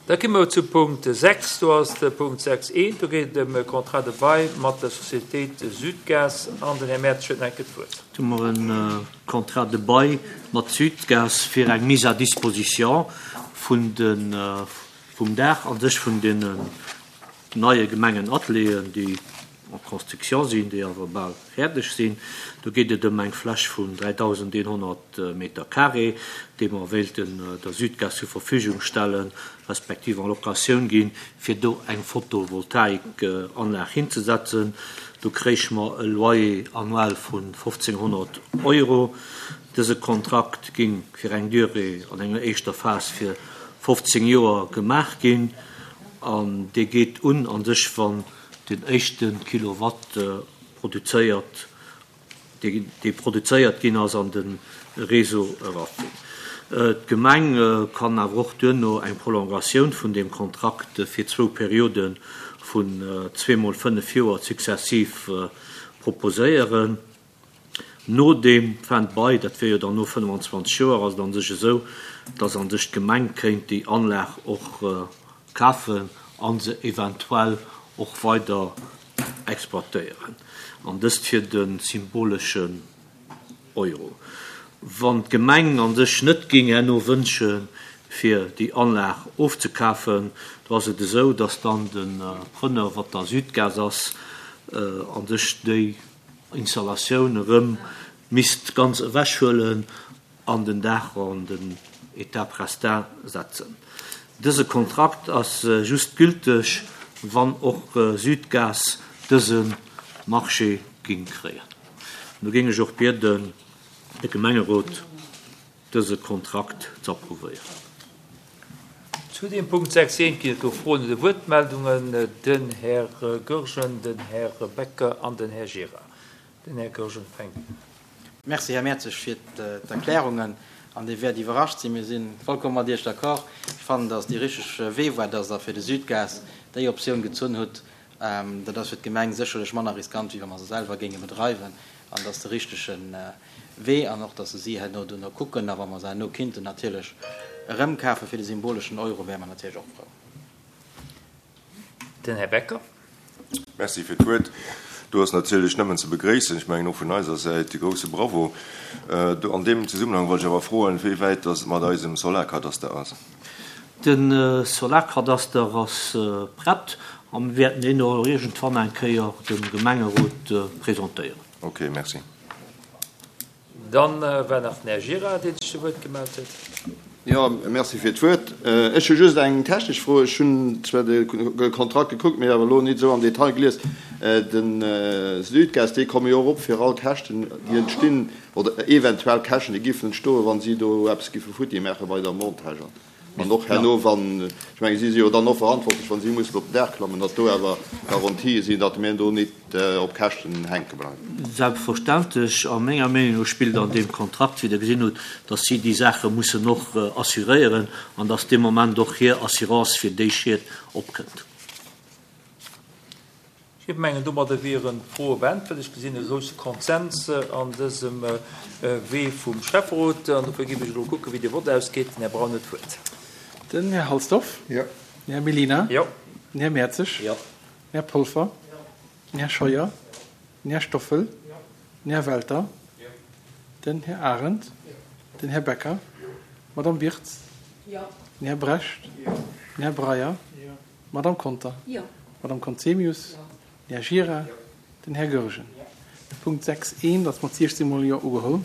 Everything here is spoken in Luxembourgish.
Da komme mer zu Punkt 6. Do ass de Punkt 6.1, do geet et ëm e Contrat de bail mat der Sociétéit Sudgaz. An den Här Mertz huet nach eng Kéier d'Wuert. Do hu mer e Contrat de bail mat Sudgaz fir eng Mise à disposition vun de, vum Daach a sech vun deenen neie Gemengenatelieren, déi en construction sinn, déi awer bal fäerdeg sinn. Do geet et ëm eng Fläch vun 3.100 Meter carré, déi mer wéilten der Sudgaz zur Verfügung stellen, respektiv en Locatioun ginn, fir do eng Photovoltaikanlag hinzesetzen. Do kréich mer e Loyer annuel vun 1.500 Euro. Dëse Kontrakt géing fir eng Durée an enger éischter Phas fir 15 Joer gemaach ginn an dee geet un a sech, wann den éischte Kilowatt produzéiert, dee produzéiert ginn ass, an de Réseau erafënnt. D'Gemeng kann awer och duerno eng Prolongatioun vun deem Kontrakt fir zwou Periode vun zweemol fënnef Joer successiv proposéieren. No deem Fin de bail, dat wier jo dann no 25 Joer, ass et a sech esou, dass a sech d'Gemeng kéint déi Anlag och kafen a se eventuell och weider exploitéieren, an dëst fir de symboleschen Euro. Wann d'Gemeng a sech net géing herno wënsche fir déi Anlag ofzekafen, do ass et esou, dass dann de Preneur, wat da Sudgaz ass, a sech déi Installatioun erëm misst ganz ewechhuelen an den Daach an den État prestat setzen. Dëse Kontrakt ass just gülteg, wann och Sudgaz dëse Marché ging kréien. Do géing ech och bieden, de Gemengerot dëse Kontrakt z'approuvéieren. Zu deem Punkt 6 eent ginn et do Froen oder Wuertmeldungen. Den Här Goergen, den Här Becker an den Här Gira. Den Här Goergen fänkt un. Merci, Här Mertzig, fir d'Erklärungen. An Dir wäert iwwerrascht sinn, mir si vollkomm mat Iech d'accord. Ech fannen, dass dee richteg Wee war, dass Der fir de Sudgas déi Optioun gezunn hutt. Dat ass fir d'Gemeng sécherlech manner riskant, wéi wa mer se selwer géinge bedreiwen. An dat ass de richtege Wee. An och, dass se si herno duerno kucken. A wa mer se herno kinnten natierlech erëmkafe fir de symboleschen Euro, wäre mer natierlech och frou. Den Här Becker. Merci fir d'Wuert. Do ass natierlech nëmmen ze begréissen, ech mengen och vun eiser Säit de grouse Bravo. Do an deem Zesummenhang wollt ech awer froen, wéi wäit dass et mat eisem Solarkadaster ass. De Solarkadaster ass prett a mir wäerten deen och iergendwann eng Kéier dem Gemengerot presentéieren. Ok, merci. Dann war nach den Här Gira, dee sech zu Wuert gemellt huet. Jo, merci fir d'Wuert. Ech hu just eng technesch Fro. Ech hunn zwar de Kontrakt gekuckt, mee awer elo nit esou am Detail gelies. De Sudgaz, déi komme jo och op fir all Käschten, déi entstinn, oder eventuell Käschten, déi giffen entstoen, wa si do eppes giffe futti maache bei der Montage. An och herno, wann, ech mengen, si si jo dann och verantwortlech, wa si mussen op den Daach klammen, datt do awer Garantië sinn, datt mir do nit op Käschten hänke bleiwen. Selbstverständlech. A menger Meenung no spillt an deem Kontrakt, wéi Der gesinn hutt, datt si déi Saache mussen och assuréieren an datt dee Moment och hir Assurance fir déi Schied opkënnt. Ech mengen, domadder wieren d'Froe beäntwert. Ech gesinn e grousse Konsens an dësem Wee vum Schäfferot. An dofir géif ech elo kucken, wéi de Vott ausgeet. Den Här Braun huet d'Wuert. Den Här Halsdorf. Jo. Den Här Mellina. Jo. Den Här Mertzig. Jo. Den Här Polfer. Jo. Den Här Scheuer. Jo. Den Här Stoffel. Jo. Den Här Welter. Jo. Den Här Arendt. Jo. Den Här Becker. Jo. D'Madame Wirtz. Jo. Den Här Brecht. Jo. Den Här Breyer. Jo. D'Madame Conter. Jo. D'Madame Conzemius. Jo. Den Här Gira. Jo. Den Här Goergen. Jo. De Punkt 6 I ass mat 16 mol Jo ugeholl.